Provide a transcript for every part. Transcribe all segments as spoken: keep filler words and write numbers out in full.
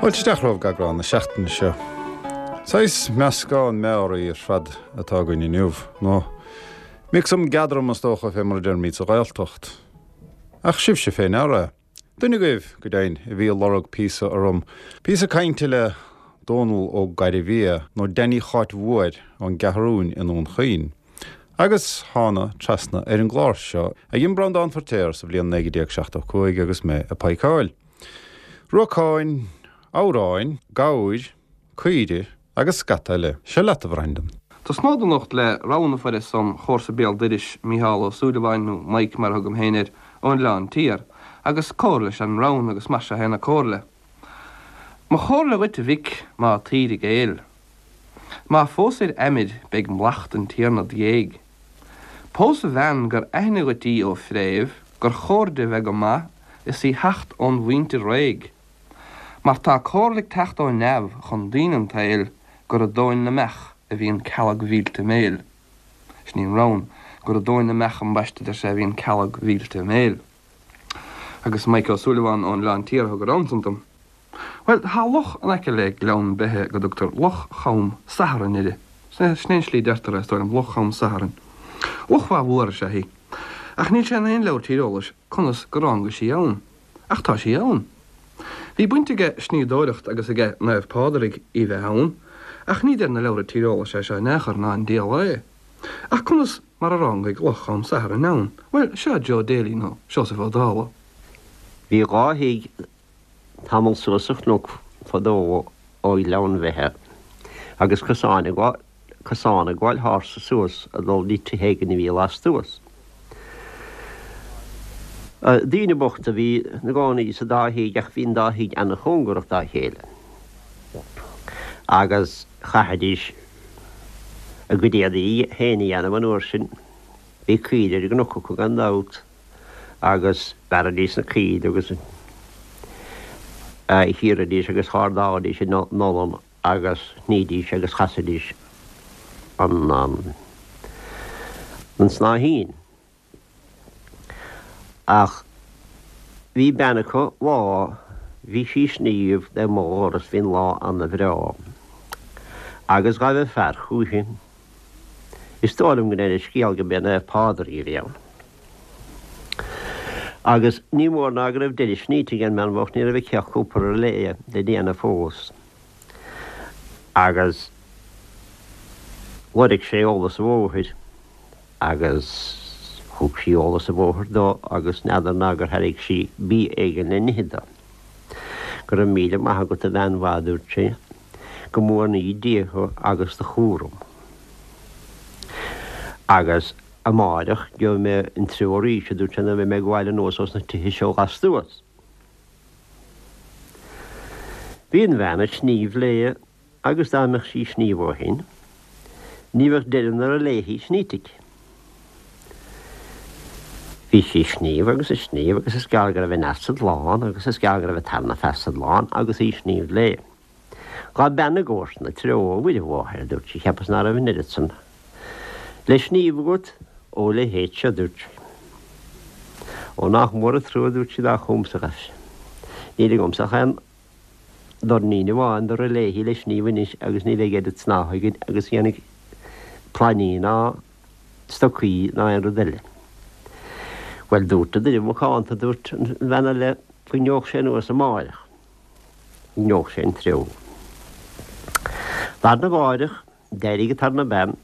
Fáilte isteach romhaibh go eagrán na seachtaine seo. Saghas meascán mearaí ar fad atá againn inniu, nó mixam geadram is dócha fé mar a deirimid sa Ghaeltacht. Ach sibhse fé ndeara. Duine agaibh, go deimhin, a bhí ag lorg píosa orm, píosa cainte le Dónal Ó Gairbhia nó Danny Cháit Mhóir ón gCeathrúin i nDún Chaoin. Agus thána trasna ar an gclár seo a dhein Breandán Feirtéar sa bhliain naoi déag seachtó cúig agus mé ag paidhceáil. Ruacáin, amhráin, gabhair, caoire agus scata eile. Seo leat a Bhreandan. Tosnód anocht le rann a fuaireas óm chomharsa béal dorais, Mícheál Ó Súilleabháin, nó Mike mar a thugaim féin air, ón Oileán Tiar, agus comhairle is ea an rann agus mar seo é an comhairle. Mo chomhairle dhuit a mhic, má taoir i gcéill. Má phósair Eimir beidh mallacht an Tiarna 'd dhéidh. Pós a bhean gur aithne dhuit í ó fréamh, gur chóir di bheith go maith is í theacht ón mhuintir réidh. Mar tá comhairle ag teacht ó neamh chun daoine an tsaoil gur i dtóin na mbeach a bhíonn cealg mhillte a mbéil. Sin í an rann, gur i dtóin na mbeach ambaiste, a deir sé, a bhíonn cealg mhillte a mbéil. Agus Mike Ó Súilleabháin ón Oileán Tiar a thug an rann san dom. Bhuel, tá loch in aice le Gleann Beithe go dtugtar Loch Cham Sathairn uirthi. Sin é an slí a deirtear é, is dóigh liom, Loch Cham Sathairn. Loch mhaith mhór is ea í. Ach níl sé in aon leabhar tíreolais conas gur ránga sí ann. Ach tá sí ann. Bhí baint aige snoíodóireacht agus aige Naomh Pádraig í bheith ann, ach ní deir na leabhra tíreolais é seo in aon chor ná an D L A. Ach conas mar a rángaigh Loch Cham Sathairn ann? Bhuel, seo Joe Daly nó Seosamh Ó Dálaigh. Bhí dhá thigh tamall suas sa chnoc fadó ó Ghleann Bheithe agus cosán ag cosán ag gabháil thar sa suas ag dul dtí tithe éigin a bhí lastuas. Daoine bochta a bhí ina gcónaí sa dá thigh ach bhí an dá thigh ana-chóngarach dá chéile. Agus chaithidís a gcuid éadaí féin a dhéanamh an uair sin. Bhí caoire ar an gcnoc acu gan dabht agus bhearraidís na caoire agus chíoraidís agus chardálaidís in olann agus shnídís agus chasaidís an an snáithín. Ach bhí bean acu lá, bhí sí ag sníomh le mo dhoras, bhí an lá ana-bhreá. Agus ghabh an fear chúichi. Is dóigh liom go ndeir an scéal go b'é Naomh Pádraig a bhí ann. Agus ní mór ná go raibh deireadh sníte ag an mbean bhocht, ní raibh aici ach cúpla relais le déanamh fós. Agus lorg sé eolas an bhóthair agus thug sí eolas an bhóthair dó agus n'fheadar ná gur thairg sí bia éigin le n-ithe dó. Go raibh míle maith agat a bhean mhaith, a dúirt sé, go mbuannaí Dia thú agus do chúram. Agus amáireach gheobhaidh mé an treo arís, a dúirt sé, nuair a bheidh mé ag gabháil anuas ós na tithe seo lastuas. Bhí an bhean ag sníomh léi agus dá mbeadh sí ag sníomh ó shin, ní bheadh deireadh na léi sníte aici. Bhí sí ag sníomh agus ag sníomh agus is gearr go raibh an fheasad lán agus is gearr go raibh an tarna feasad lán agus í ag sníomh léi. Ghabh bean i gcomharsana treo, a Mhuire Mháthair, a dúirt sí, cheapas ná raibh an oiread san le sníomh agat ó leithéid seo, a dúirt sí. Ó nach mór an trua, a dúirt sí, dá chugamsa a ghabh sé. Níl agamsa ach aon doirnín amháin de léi le sníomh anois agus ní bheidh oiread snátha againn agus a dhéanfaidh plainí ná stocaí ná aon rud eile. Bhuel, dúirt an duine macánta, dúirt an bhean eile, go ngeobhadh sé anuas amáireach. Go ngeobhadh sé an treo. Lá arna mháireach, d'éirigh an tarna bean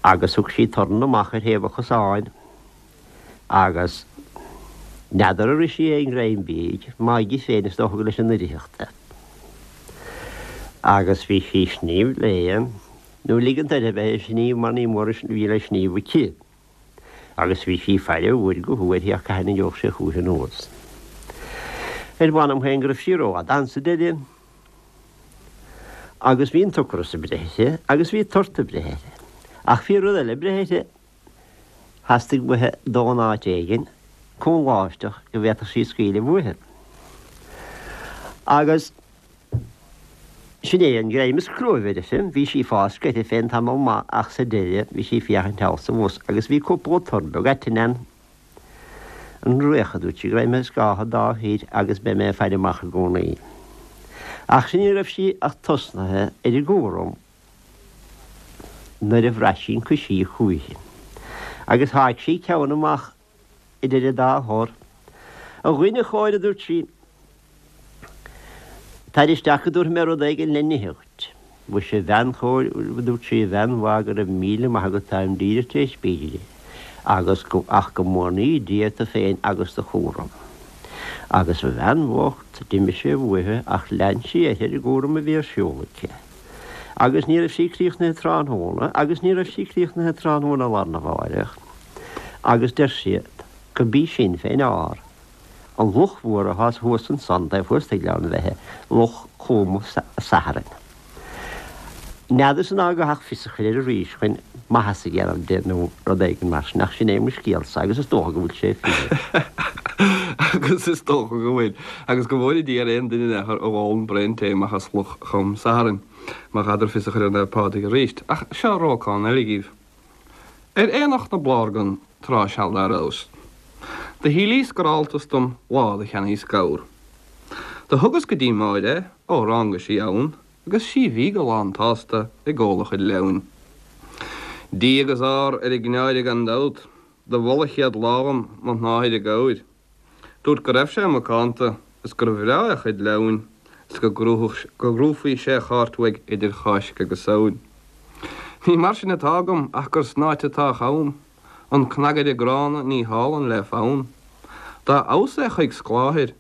agus thug sí torn amach ar thaobh an chosáin agus n'fheadar ar ith sí aon ghreim bídh, maith di féin is dócha gur leis an oirirtheacht é. Agus bhí sí ag sníomh léi, nó ligint uirthi bheith ag sníomh mar ní mór a bhí le sníomh aici. Agus bhí sí ag faire ó uair go huair ach cathain a gheobhadh sé chúichi anuas. Ar mh'anam féin go raibh sí rófhada ann sa deireadh. Agus bhí an t-ocras ag breith uirthi agus bhí tort ag breith uirthi. Ach bhí rud eile ag breith uirthi. Theastaigh uaithi dul in áit éigin cúngláisteach go bhféadfadh sí scaoileadh uaithi. Agus sin é an greim is crua a bhí uirthi. Bhí sí ag fáscadh uirthi féin tamall maith ach sa deireadh bhí sí ag féachaint thall is abhus agus bhí cúpla tor beag aitinn ann. An récha dúirt sí go raibh mé scáth dá thír agus beidh mé ag faire amach i gcónaí. Ach sin ní raibh sí ach tosnaithe ar an gcúram nuair a bhraith sí an coisíoch chúichi. Agus sháigh sí ceann amach idir an dá thor. A dhuine chóir, a dúirt sí, tar isteach go dtabharfaidh mé rud éigin le n-ithe dhuit. Mhuise, a bhean chóir, a dúirt sí, a bhean mhaith, go raibh míle maith agat, táim díreach tar éis bídh. Agus go, ach go mórnaí Dia tu féin agus do chúram. Agus a bhean bhocht, d'imigh sé uaithi ach lean sí uirthi ar an gcúram a bhí ar siúl aici. Agus ní raibh sí críochnaithe tráthnóna, agus ní raibh sí críochnaithe tráthnóna lá arna mháireach. Agus deir siad go b'í sin fé ndeár an luch mhór athá thuas ansan taobh thuas de Ghleann Bheithe, Loch Chom Sathairn. N'fheadarsa ná go ach fios a chur air arís chun maitheas a dhéanamh de nó rud éigin mar sin, ach sin é mo scéalsa agus is dócha go bhfuil sé fíor. Agus is dócha go bhfuil. Agus go bhfóire Dia ar aon duine in aon chor a dh'ólann braon tae amach as Loch Chom Sathairn, má ghadhar fios a chur ar Naomh Pádraig arís. Ach seo rócán eile dhíbh. Ar aonach na Blárgan tráth seal dá rabhas. Do shílíos gur fháltas dom lá do cheannaíos gabhar. Do thugas go dtí Máire é, ó rángaigh sí ann, agus sí bhí go lán tsásta ag ól a chuid leamhain. Dia agus ár ar an gcneáire gan dabht, do mhol a chéad lá dhom mo shnáthaid gabhair. Dúirt go raibh sé macánta is gur bhreá a chuid leamhain is go gcrúfaí sé chairt uaidh idir Cháisc agus Samhain. Ní mar sin atá agam ach gur snáite atá a cham, an cnagaire gránna ní hálann le fonn. Dá fheabhas é chuig scláthair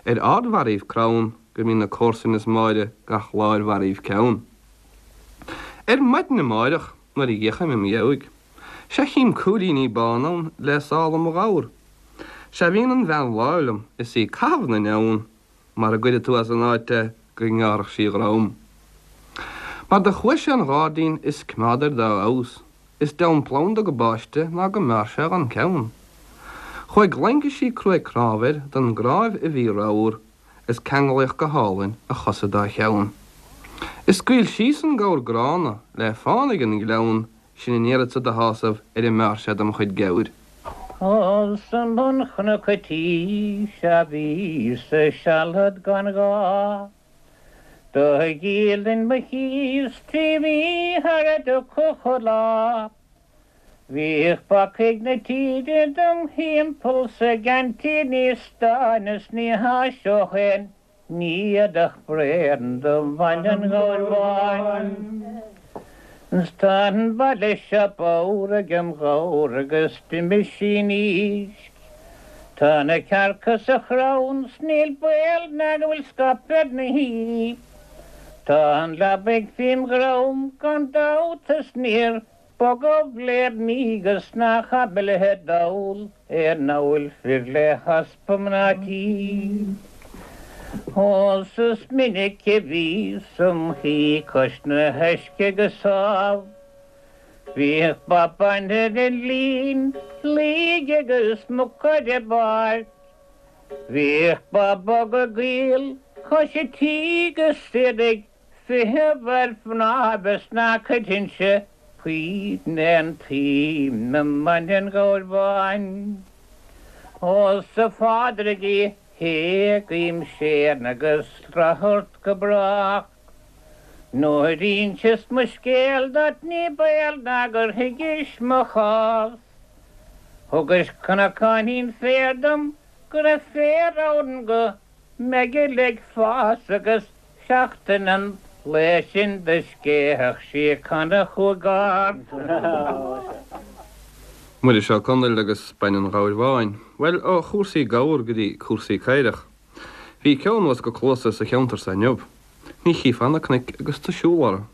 ar ardbharraíbh crann go mbíonn na comharsain is Máire gach lá ar bharraíbh ceann. Ar maidin amáireach nuair a d'fhéachaim im dheabhaidh, sea chím cúilíní bána ann le sála mo ghabhar. Sea bhíonn an bhean láimh liom is í ag caitheamh na neamhan mara gcuire tú as an áit é go ngearrfadh sí a dhrom. Mar do chuaigh sé 'on ghairdín is coimeád air dá fheabhas, is deamhan planda go báiste ná go mbearr sé dhon ceann. Chuaigh laincisí cruaidh cnámh air don gcnáimh a bhí ramhar is ceanglaíodh go hálainn a chosa dá cheann. Is scaoil síos an gabhar gránna le fán ag an ngleann sin a n-iarradsa do shásamh ar an mbearr sé dom chuid gabhair. Thall sa mbunchnoc a tí sea bhíos-sa sealad gan ghá. Do dhíolainn mo chíos trí mhí thar a dtiocfadh an lá. Bhíodh bacaigh na tíre dom thimpeall 's a gceantaí níos stáine 's ní tháiseodh aon ní éadach bréan do bhaint an ghabhair bháin. 'S tá an baile seo bodhar agem ghabhar agus d'imigh sí in aois. Tá na cearca sa chrann 's níl baol ná go bhfuil scaip ar na hí. Tá an leabaidh fém dhrom gan dabht is níor Bogadh bléad míogas nach aimilithe dall ar n-amhail fir le heaspa mná tí. Ó 's is minic a bhíos im shuí cois na huisce go sámh. Bhíodh ba bainte den líon, laoigh agus muc ar an bpáirc. Bhíodh ba bog ag gaol cois an tí agus iad ag feitheamh ar chnámh is ná cuirfinnse puinn aon tsuim i mbaint an ghabhair bháin. Ó 's a Phádraig a guím séan agus rath ort go brách. Nuair inseas mo scéal duit ní baol ná gur thuigis mo chás. Thugais cnocáinín féir dom go raibh féar ann go mbeidh ag fás agus seachtain an lae sin do scéithfeadh sí canna chúig ard. Muiris Ó Conaill agus Bain an Ghabhair Bháin. Bhuel, ó chúrsaí gabhar go dtí cúrsaí caorach. Bhí ceo anuas go cluasa sa cheantar so inniu. Ní chífeá na cnoic agus tú siúl orthu.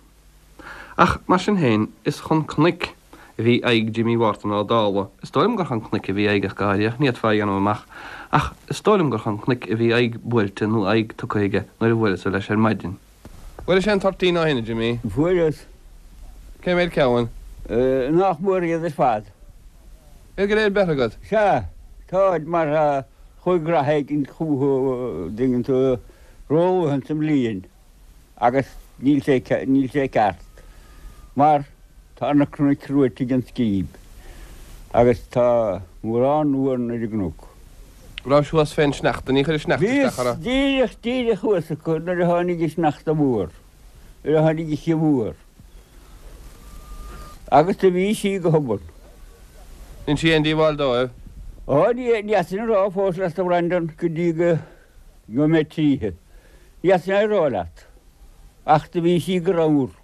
Ach, mar sin féin, is chun cnoic a bhí aghaidh Jimí Mhártain Ó Dálaigh. Is dóigh liom gur chun cnoic a bhí aghaidh ach go háirithe, ach ní fhéadfá a dhéanamh amach. Ach is dóigh liom gur chun cnoic a bhí aghaidh buailte nó aghaidh tugtha aige nuair a bhuaileas-sa leis ar maidin. Bhfuairis aon toirtín ó shin, a Jimí? Fuaireas. Cé mhéad ceann? Nach mór iad ar fad. Iad go léir beirthe agat? Sea, táid mar chuaigh rath éigin chucu, dtuigeann tú, róluath ins an mbliain agus níl sé, níl sé ceart mar tá na cnoic reoite ag an scríb agus tá mórán uan ar an gcnoc. Raibh thuas fén sneachta, ní chuir sneachta isteach orthu. Díreach, díreach thuas acu nuair a tháinig an sneachta mór, nuair a tháinig an oíche mhór. Agus do bhí sí go hobann. Dhein sí aon díobháil dóibh? Ó, ní fhéadfainn a rá fós leat a Bhreandan go dtí go mbeidh mé tríothu. Ní fhéadfainn a rá leat. Ach do bhí sí go ramhar.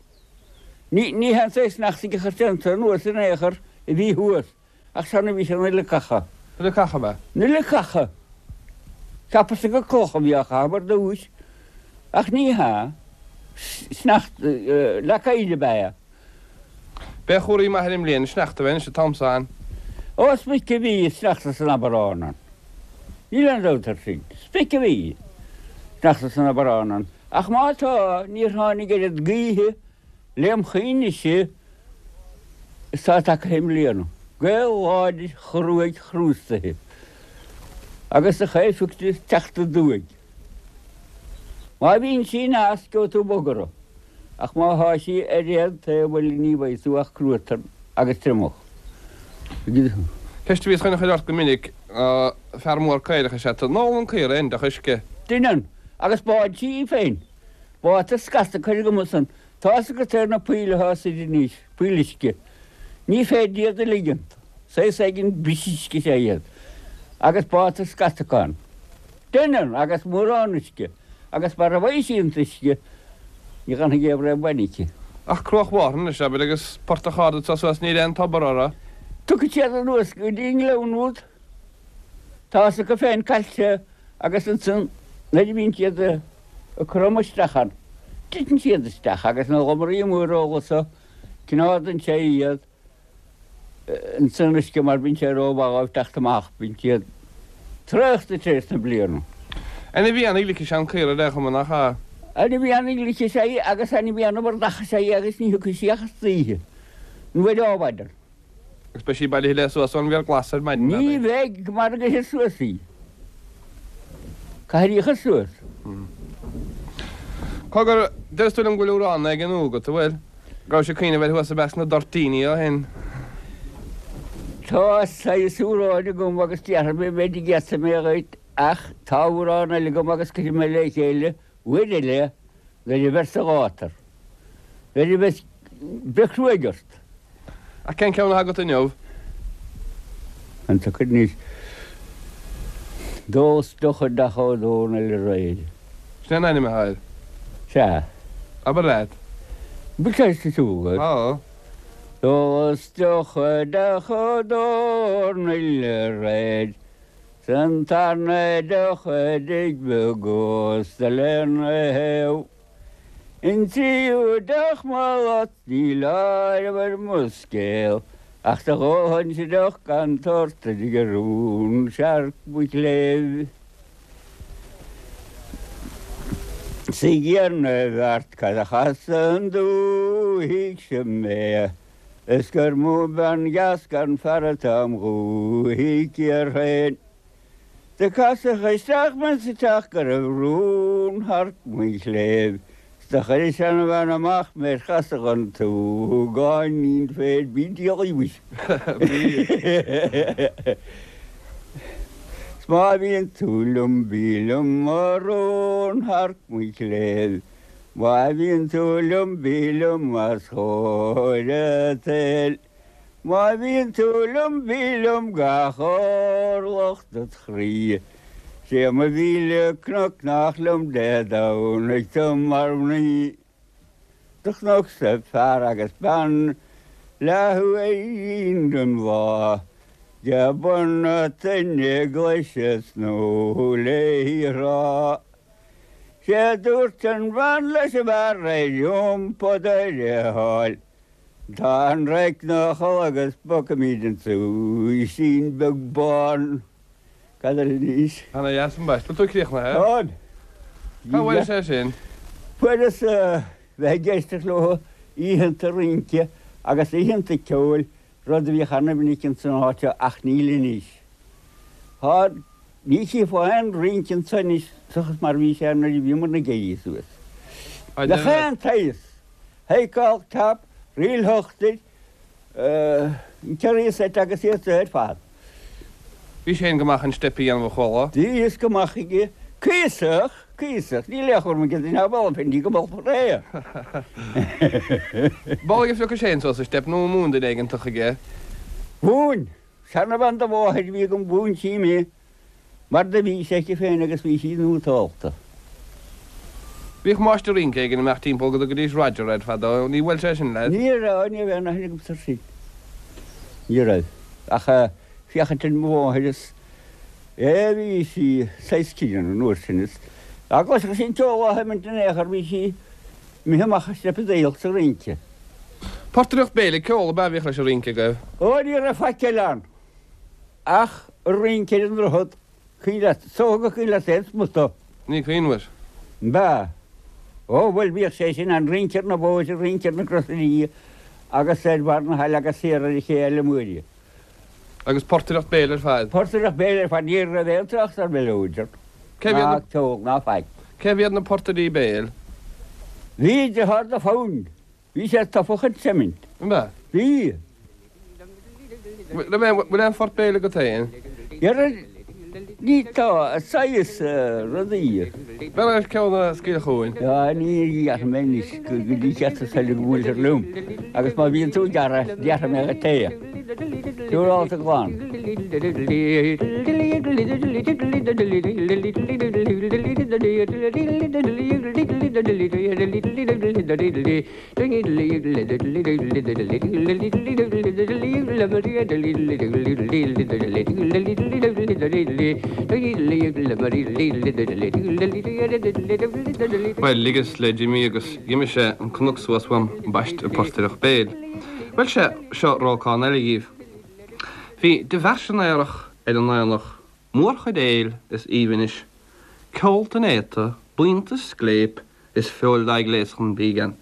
Ní ní hé an saghas sneachta a chuir ansan anuas in aon chor a bhí thuas, ach san a bhí sé na leacacha. Na leacacha ab ea? Na leacacha. Cheapas-sa gur clocha a bhí á chaitheamh ar dtúis, ach ní hea. Sneachta, leac oighir ab ea é. B'é a chomhartha maith ar an mbliain an sneachta a bheith anois an t-am so ann. Ó, is minic a bhí sneachta san Aibreán ann. Níl aon dabht air sin. Is minic a bhí sneachta san Aibreán ann. Ach má tá, níor tháinig oiread gaoithe lem chuimhnese is atá tagtha i mbliana. Gaoth láidir chruaidh chrústaithe. Agus do chaillfeadh tú teacht aduaidh. Má bhíonn sí aneas gheobhaidh tú bogartha, ach má thá sí ar aon taobh eile ní bhfaighidh tú ach cruatan agus triomach. Ceist a bhíos chun a chur ort go minic ná fear mór caorach is ea tú. An ólann caora aon deoch uisce? Deineann, agus báid sí í féin. Báitear scata caorach amuigh ansan. Tá's agat ar na poill athá suite anois, poill uisce. Ní féidir iad a ligint. Saghas éigin bris uisce is ea iad. Agus báitear scata acu ann. Deineann, agus mórán uisce. Agus mara bhfaighidh sí an t-uisce, ní dh'fhanfaidh aon bhraon bainne aici. Ach Cruach Mhárthain anois, abair, agus Portach Ard anso suas, níl aon tobar orthu. Tiocfaidh siad anuas go dtí an gleann úd. Tá's acu féin caillte agus ansan nuair a bhíonn siad ag cromadh isteach ann, titeann siad isteach agus na lomairí móra so, cneádann sé iad insan uisce mar bíonn sé rómhaith dhóibh teacht amach, bíonn siad traochta tar éis na bliana. Ainmhí an-ghlic is ea an caora ar aon chuma, nach ea? Ainmhí an-ghlic is ea í agus ainmhí an-mhordach is ea í agus ní thiocfaidh sí ach istoíche nó ar adhmhaidin. Agus beidh sí bailithe léi suas ón bhféar glas ar maidin, Ní abair. bheidh mara gcuirfir suas í. Caithfear í a chur suas. Cogar, deir tú liom go bhfuil amhrán éigin nua agat, an bhfuil? Go rabhais ag cuimhneamh air thuas i measc na dtoirtíní ó shin. Tá saghas amhráin agam agus déarfaidh mé b'fhéidir go íosfaidh mé dhuit ach tá amhrán eile agam agus cuirfidh mé le chéile uair eile nuair a bheir sa ghátar. Nuair a bheas breith cruaidh ort. Ach cén ceann atá agat inniu? An tsocair anois. D'ólas deoch deoch Ó Dónaill aréir. Sin é an ainm atá air. Sea. Abair leat. Bhfuil sé sa tsiúl agat? Tá. D'ólas deoch deoch Ó Dónaill aréir. 'S an tarna deoch i dtigh beag ósta lena thaobh. An tríú deoch mo lot níl áireamh ar mo scéal ach do dh'ólfainnse deoch gan tort i dtigh rún searc mo chléibh. 'S ag iarraidh na bhfeart cad a chas an dúthaigh seo mé is gur mó bean dheas gan fear atá im dhúthaigh thiar féin. Do casadh isteach mé sa teach go raibh rúnshearc mo chléibh 's do chuir an seanbhean amach mé ar chasadh an tsúgáinín féir bí diabhlaí muis. 'S má bhíonn tú liom bí liom a rúnshearc mo chléibh má bhíonn tú liom bí liom as chóir an tsaoil. Má bhíonn tú liom bí liom gach orlach dod chroí. 'Sé mo mhíle cnoc nach liom Dé Domhnaigh tú mar mhnaoi. Do chonacsa fear agus bean leathuair den lá de bun na toinne glais ag snú léi a rá. 'Sé dúirt an bhean leis an bhfear ar iompó do ar a sháil. Tá an raic 'na chodladh agus bogfaimid an súisín beag bán. Cad eile anois? Ana dheas ambaiste. Bhfuil tú críochnaithe? Táim. Cá bhfuairis é sin? Fuaireas bheith ag éisteacht leo oícheanta rince agus oícheanta ceoil, rud a bhíodh ana-mhinic ins an áit seo ach níl anois. Tá, ní chífeá aon rince anso anois seachas mar a bhí sé nuair a bhíomar ag éirí suas. Bheadh aon tsaghas. Take All Tap, Ríl Shochtair, an Cherry Set agus iad seo ar fad. Bhí sé go maith an steip a dhéanamh a chuala. Bhí go maith aige cuíosach, cuíosach, níl aon chur go duine ball féin go ball ré. Ball a phioc sé suas an steip nó mhúin duine éigeantach aige. Mhúin, seanbhean do mháthair bhí agam mhúin sí mé mar do bhí sé aici féin agus bhí sí nótálta. Bhíodh máistir rince éigin ag imeacht timpeall go dtugaidís Roger air fadó, ní bhfuil sé sin leat? Ní raibh, ní raibh aon aithne agamsa air sin. Ní raibh. Ach féachaint ar mo mháthair is é bhí sí saghas críonna an uair sin is dá gcloisfeadh sí an ceol á sheimint in aon chor bhí sí imithe amach ag steipeadaíocht sa rince. Portaireacht béil ag ceol ab ea a bhíodh leis an rince agaibh? Ó ní raibh faic eile ann ach an rince ar an droichead. Cuimhin leat, is dócha gur cuimhin leat aon smut. Ní cuimhin leat. Ba. Ó, bhuel, bhíodh sé sin ann, rince ar na bóithre, rince ar na crosairí agus ar bharr na haille agus siar ar an ché eile Muire. Agus portaireacht béil ar fad? Portaireacht béil ar fad, ní raibh aon trácht ar mheileoid ann, ná ceol, ná faic. Cé mhéad na portairí béil? Bhí deartháir do Fonn. Bhí sé tofa chun seimint. An ea? Bhí. Bhfuil aon phort béil agat féin? Dhera, ní tá, saghas rudaí. Beir leis ceann a scaoil chugainn. Á, ní dhéarfaidh mé anois go dtí ceart is eile go mbuailtear liom, agus má bhíonn tú ag gearradh, déarfaidh mé dhuit é. Siúrálta glan. Bhuel, ligeas le Jimí agus dh'imigh sé an cnoc suas uaim ambaiste ag portaireacht béil. Bhuel, sea, seo rócán eile dhíbh. Bhí de mheaisín aerach ar an aonach, mórchuid éil is aoibhnis, ceol an néata, buíonta scléip is feoil dá gléas chun bídh ann.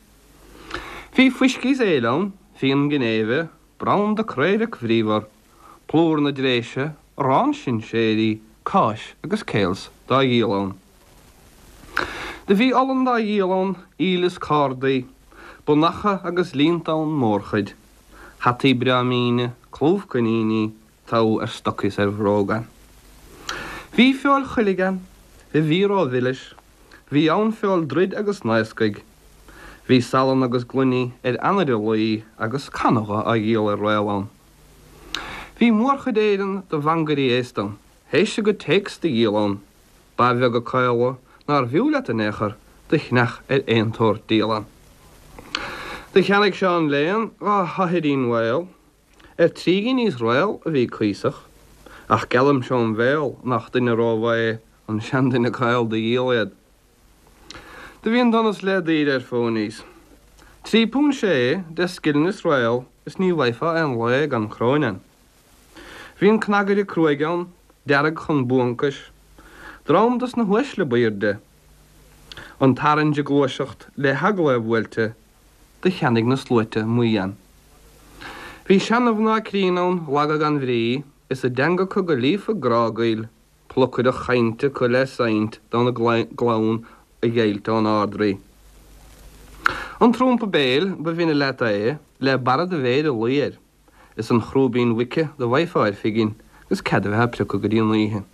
Bhí fuiscí is éil ann, fíon ginéive, branda craorac bríomhar, plúr na dréise, arán sinséirí, cáis agus cales dá dhíol ann. Do bhí olann dá dhíol ann, aoil is cardaí, Bonnacha agus líonta ann mórchuid, hataí breá míne, clúmh coiníní, togha ar stocaí is ar bhróga ann. Bhí feoil choiligh ann, a bhí ró-mhilis, bhí ann feoil druid agus naoscaigh. Bhí salann agus gloiní ar anaire luí agus canóga á dhíol ar réal ann. Bhí mórchuid Éireann de mhangairí aosta ann, théis a gcuid téacs do dhíol ann, ba bheaga caola nárbh fhiú leat in aon chor do chneach ar aon tsórt díol ann. Do cheannaigh Seán Léan dhá sháithín mhaol, ar trí ghiní is réal a bhí cuíosach, ach geallaimse óm bhéal nach duine rómhaith é an seanduine caol do dhíol iad. Do bhí an donas le daoire ar phonies. Trí punt sé deich scilling is réal is ní bhfaighfeá aon lae gan chróin ann. Bhí an cnagaire cruaidh ann, dearg chun buancais, dream dos na huaisle b'aoirde. An tarraingt ag gluaiseacht le heagla a bhuailte, do cheannaigh na sluaite maí ann. Bhí seana-mhná críonna ann, laga gan bhrí, is a dteanga acu go líofa grágaoil, plocaireacht chainte acu le seinnt d'fhonn a gclann a dheighilt ón Ard-Rí. An trumpa béil, ba bhinne leat é, le barra do mhéire luí air, is an chrúibín mhuice do bhfaighfeá ar phingin agus cead a bheith á priocadh go dtí an oíche.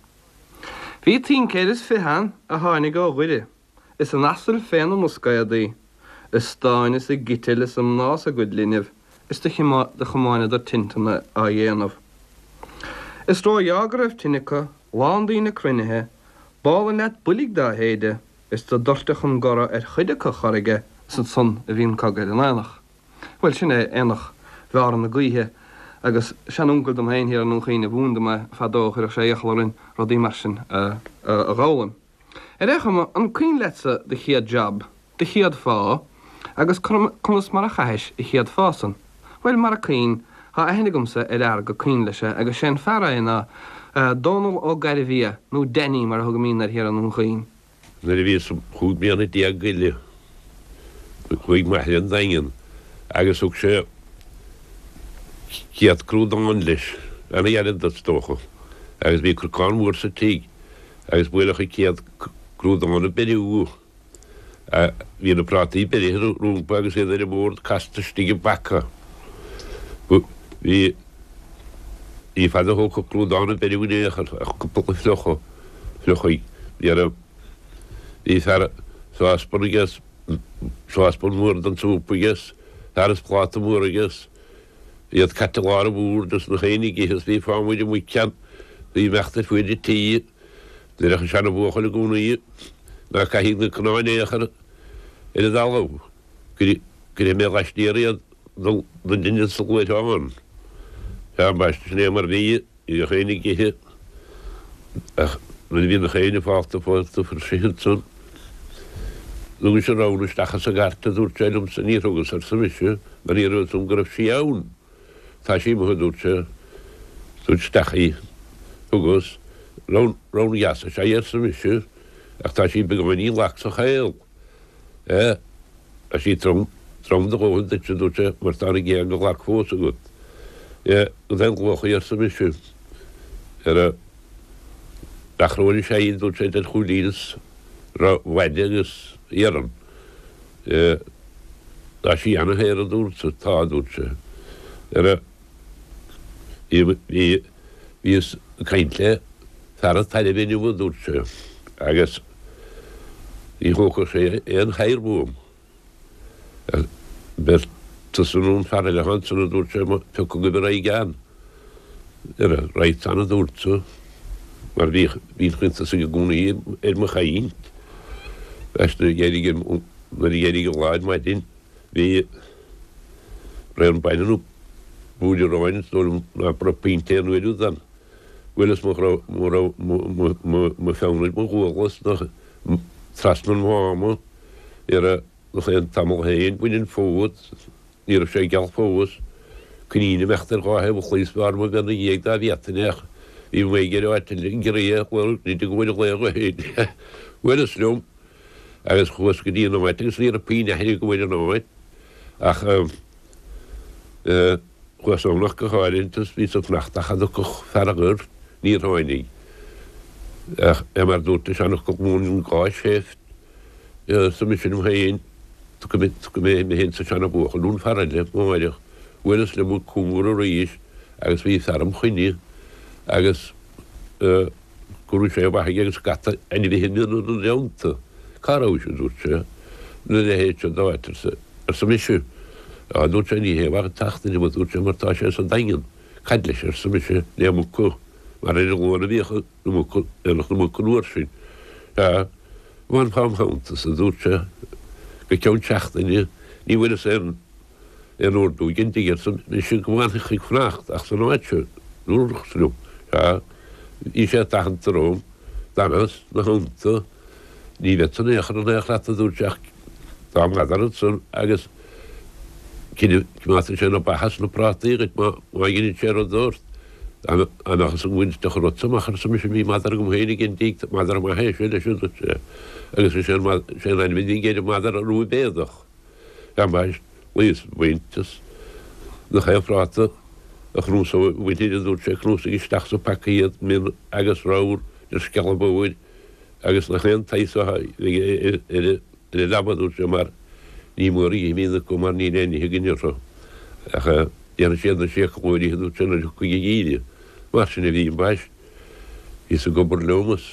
Bhí tincéir is fiche ann a tháinig ó Dhoire, is a n-asail féna mboscaodaí, a stáin is a gciteal is a mná is a gcuid linbh, is do chomáineadar tinteanna á dhéanamh. Is róghearr go raibh tine acu, lán daoine cruinnithe, b'álainn leat boilg dá shéideadh, is do doirteadh an gora ar chuid acu chorraige, is ansan a bhí an cogadh ar an aonach. Bhuel, sin é aonach Bhearna na Gaoithe, agus seanuncail dom féin thiar i nDún Chaoin a mhúin dom é fadó, chuireadh sé iachall orainn rudaí mar sin a dh'fhoghlaim. Ar aon chuma, an cuimhin leatsa do chéad jab, do chéad phá, agus conas mar a chaithis a chéad phá san? Bhuel, mara cuimhin, tá aithne agamsa ar fhear go cuimhin leis é, agus sé'n fear é ná Dónall Ó Gairbhia, nó Danny mar a thugaimídne air thiar i nDún Chaoin. Nuair a bhíos chúig bliana déag go leith, chuaigh m'athair 'on Daingean agus thug sé céad crúdán leis, ana-ghearr is dócha, agus bhí corcán mór sa tigh agus buaileadh an céad crúdán ag beiriú. Bhí na prátaí beirithe rompu agus iad ar an mbord casta istigh i bpaca. Bhí Ní fada a thógfadh clúdán a beiriú in aon chor ach cúpla fliuchadh, fliuchaidh. Dhera, bhí fear sáspan aige, sáspan mór den tsúp aige, fear is pláta mór aige, iad caite lár an bhoird is nach éinne ag ithe is bhí fámuid amuigh ceann, bhí imeacht ar fuaid an tí. Deireadh an seana-bhuachaill i gcónaí ná caithfidh na cnáin aon chor ar an dtalamh, cuirfidh mé laistiar iad don duine sa luaithreán. Sea, ambaiste, sin é mar bhí, ní bheadh éinne ag ithe ach nuair a bhí nach éinne fágtha fágtha fuair ansan. Thugais an ramhar isteach as an gcairt, a dúirt sé liomsa, níor thugas, arsa mise, mar ní raibh fhios agam go raibh sí ann. Tá sí amuigh, a dúirt sé, tabhair isteach í. Thugas. Ramhar dheas is ea í, arsa mise, ach tá sí beagáinín lag sa chaol. Eh, tá sí trom, trom do dhóthain duit, a dúirt sé, mar tá na géaga lag fós agat. Eh, cad é an luach í, arsa mise. Ar a achróin is ea í, a dúirt sé, idir chúilín is mhaide agus iarann. Eh, tá sí ana-shaor, a dúrt sa, tá, a dúirt sé. Ar a, bhí, bhí, bhíos ag caint le fear an tairbhe inniu, a dúirt sé, agus ní thógfadh sé aon chabhair uaim. B'fhearr tusa nó an fear eile ansan, a dúirt sé, pioc agaibh a raghaidh ann. Ar a raghadsa ann, a dúrt-sa, mar bhíodh bhínn chun tosaigh i gcónaí ar mo chaint. Nuair a d'éirigh nuair a d'éirigh an lá ar maidin bhí braon bainne nó buaidh aráin is dóigh liom ná raibh punt aon uair úd ann. Bhuaileas mo mo mo pheann ar mo ghuala is nach trasna an mháma ar a nach aon tamall féin bhain an fód, ní raibh sé geal fós, coinín imeacht ar dhá thaobh an chlaí is b'fhearr mo bhean ina dhiaidh dá bhféadfainn ach bhí mé ag iarraidh áit eile, giorria, bhuel, ní go bhfuil a laoch féin. Bhuaileas liom agus chuas go dtí an áit agus ní raibh puinn aithne agam ar an áit ach chuas ann ach go háirithe is bhíos ag fanacht ach a dtiocfadh fear an ghoirt, níor tháinig. Ach é mar dúirt an seanfhocal múineann gá seift. Arsa mise liom féin, tiocfaidh mé mé féin sa seana-bhuachaill nó an fear eile amáireach. Bhuaileas liom an cóngar arís agus bhí fear im choinne agus go raibh sé amach aige agus scata ainmhithe miona ina dteannta. Cá rabhais, a dúirt sé, ina leithéid seo d'áit, arsa mise. Á, a dúirt sé, ní hé mhaith an tseachtain liom, a dúirt sé, mar tá sé sa Daingean. Cad leis, arsa mise, le muca, mar ar an Luan a bhíodh na muca, aonach na muc an uair sin. Sea, bhfanfá im theannta-sa, a dúirt sé, go ceann seachtaine, ní bhfuaireas aon aon ordú ag an dtigh, arsa mise, go bhfanfadh ag fanacht ach san áit seo, dúradh liom. Sea, bhí sé tathantach romham, d'fhanas 'na theannta, ní bheadsa in aon chor in aon chor leat, a dúirt sé, ach tá madra ansan agus coimeádfaidh sé na beacha is na prátaí dhuit má dheineann sé rud ort. Dá mbeadh fhios agam go dtiocfadh rud san amach, arsa mise, bhí madra agam féin ag an dtigh, madra maith é sin leis, a dúirt sé, agus is é an ainm a bhí aige ar an madra, Rua Béadach. Ambaist, luíos baint as nach aon phráta a chnuasóidh a mhuintir, a dúirt sé, cnuasaigh isteach sa phaca iad, min agus ramhar idir scealla bodhair agus nach aon tsaghas a bheidh ar an leaba, a dúirt sé, mar ní mór a dh'imíonn acu mar níl aon nithe againn orthu ach déanfaidh siad na séaclóirí, a dúirt sé, nuair a thiocfaidh an geimhreadh. Mar sin a bhí, ambaist. Bhíos ag obair liom is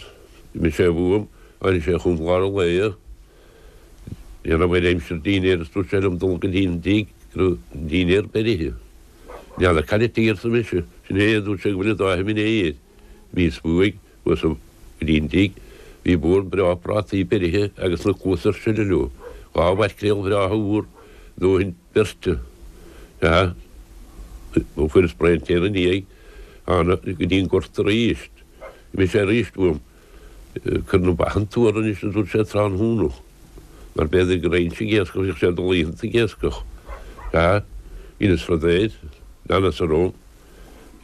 d'imigh sé uaim, tháinig sé chugam lár an lae, ní raibh ar aimsir dinnéir is dúirt sé liom dul go dtí an dtigh go raibh an dinnéar beirithe. N'fheadar cad a arsa mise, sin é, a dúirt sé, go bhfuil an dá thimín air. Bhíos uaidh. Chuas go dtí an tigh. Bhí bord breá prátaí beirithe agus na cluasa ar sileadh leo. Dhá mhaicréal bhreátha úr, dóthain beirte. Sea, fuaireas braon tae ina ndiaidh. Thána go dtí an gort arís. D'imigh sé arís uaim. Cuir na ba an tuar anois, a dúirt sé tráthnóna. Mar b'fhéidir go raghainnse ag iascach, bhíodh sé ag dul oícheanta ag iascach. Sea, dheineas rud air. Leanas orm.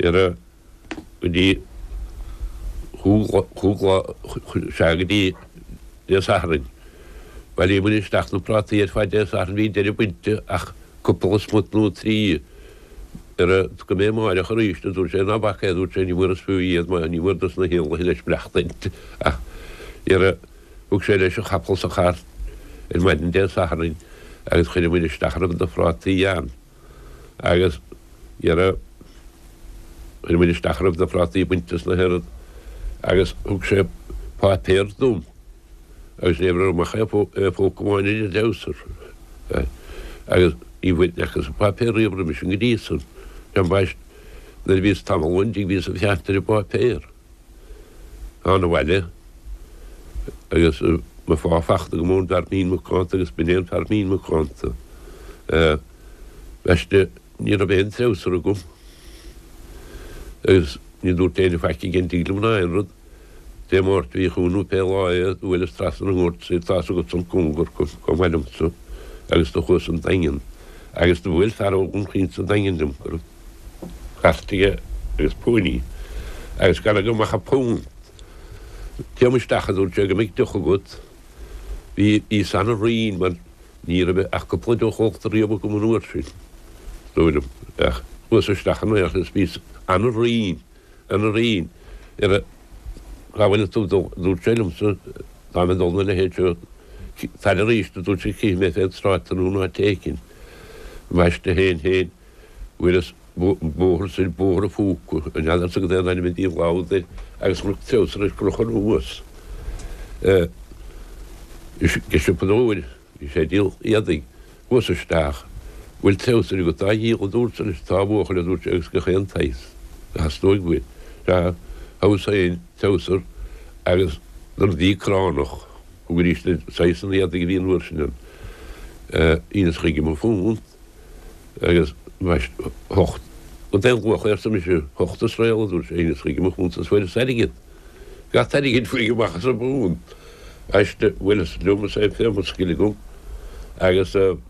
Ar a. go dtí chúig lá, sea, go dtí Dé Sathairn. Bhailíomair isteach na prátaí ar fad Dé Sathairn, bhí deireadh bainte ach cúpla smut nó trí. Ar a go mbeidh amáireach arís, a dúirt sé, ná bac é, a dúirt sé, ní mór is fiú iad, mar ní mór dos na héanlaithe leis maireachtaint. Ach ar a thug sé leis a chapall is a chairt ar maidin Dé Sathairn agus chuireamair isteach a raibh de phrátaí ann. Agus dhera. Chuir muid isteach a raibh de phrátaí bainte as na hOiread agus thug sé páipéar dom agus ní raibh amach aon phóca amháin ar an dtreabhsar. Agus ní bhfuair an páipéar riamh roimhe sin go dtí san. Ambaist, nuair a bhíos tamall ón dtigh bhíos ag féachaint ar an bpáipéar. Thána abhaile agus mo phá fachta agam ón bhfear mín macánta agus b'in é an fear mín macánta. Ambaiste, ní raibh aon treabhsar agam agus ní dúirt éinne faic ag an dtigh liom ná aon rud. Dé Máirt a bhí chugainn nó pé lá é, do bhuaileas trasna an ghort is tá's agat an cóngar chomh maith liomsa agus do chuas an Daingean agus do bhuail fear ó Dhún Chaoin sa Daingean liom go raibh cairt aige agus póiní agus gan agam ach a punt. Téam isteach a dúirt sé go mbeidh deoch agat. Bhí bhíos ana-righin mar ní raibh ach cúpla deoch ólta riamh agam an uair sin, is dóigh liom. Ach chuas isteach in aon chor agus bhíos ana-righin, ana-righin ar a Cá bhfuil tú ag dul? a dúirt sé liomsa. Táim ag dul na leithéid seo. Tar arís, a dúirt sé, cífidh mé fén tsráid tú nó in áit éicint. Ambaiste féin féin, bhuaileas bóthar soir, Bóthar an Phúca, an n'fheadarsa cad é an ainm a bhí an lá úd air, agus chonac treabhsar ar crochadh anuas ag siopadóir, bhí sé ag díol éadaigh, chuas isteach, bhfuil treabhsar agat á dhíol, a dúrtsa leis, tá a bhuachaill, a dúirt sé, agus gach aon tsaghas, a theastóidh uait. Sea, thoghas féin treabhsar agus don mhí cránach, thug arís saghas an éadaigh a bhí an uair sin ann, shíneas chuige mo phunt. Agus ambaiste, hocht. Cad é an luach é, arsa mise. Hocht is réal, a dúirt sé, shíneas chuige mo phunt is fuaireas airgead. Gach airgead fuair amach as an bpunt. Ambaiste, bhuaileas liom is é fé mo scill agam. Agus do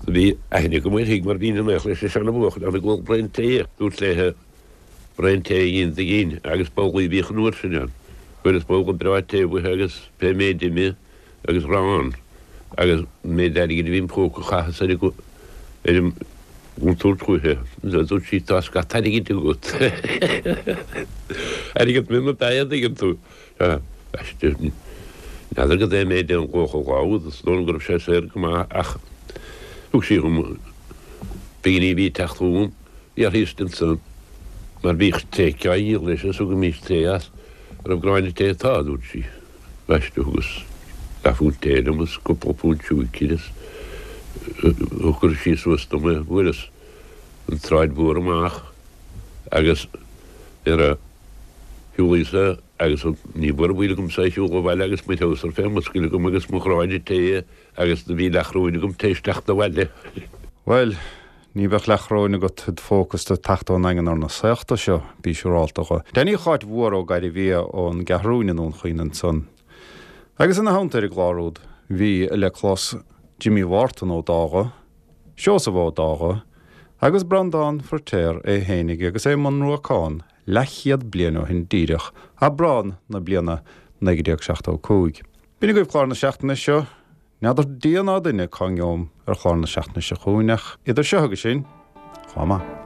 bhí aithne agam uirthi mar bhínn in aon leis an seana-bhuachaill ann ag ól braon tae. Dúrt léithe braon tae a dhéanamh di ginn agus babhlaí a bhíodh an uair sin ann. Fuaireas babhla breá tae uaithi agus pé méid ime agus arán agus an méid airgid a bhí im phóca chaitheas ar ar an gcontúirt uaithi. Dúirt sí, tá scata airgid agat. Airgead mionn ab ea é, an dtuigeann tú. Ambaiste, n'fheadar cad é an méid é an luach an lá úd, is dóigh liom go raibh sé saor go maith ach thug sí dhom pinginí a bhí ag teacht chugam, bhí uirthi istigh ansan mar bhíodh tae á dhíol leis is thugaimís tae as. An raibh gráinne tae? Tá, a dúirt sí. Ambaiste, thugas leathphunt tae liom is cúpla punt siúicir is chuir sí suas dom é. Bhuaileas an tsráid mhór amach agus ar a shiúlaíos agus ní ba mhór an baol agamsa é a shiúl abhaile agus mo threabhsar fé mo scill agam agus mo ghráinne tae agus do bhí leathchoróin agam tar éis teacht abhaile. Bhuel, Ní bheadh leathchoróin agat id phóca is tú ag teacht ón nDaingean ar na saochta seo, bí siúrálta dho. Danny Cháit Mhór Ó Gairbhia ón gCeathrúin i nDún Chaoin ansan. Agus ina theannta ar an gclár úd bhí le clos Jimí Mhártan Ó Dágha, Seosamh Ó Dágha agus Breandán Feiritéar é fhéinig agus é i mbun ruacán leathchéad bliain ó shin díreach, Aibreán na bliana naoi déag seachtó cúig. B'in agaibh clár na seachtaine seo. N'fheadar Dia ná duine cá ngeobham ar chlár na seachtaine seo chugainn ach idir seo agus sin, chomh maith.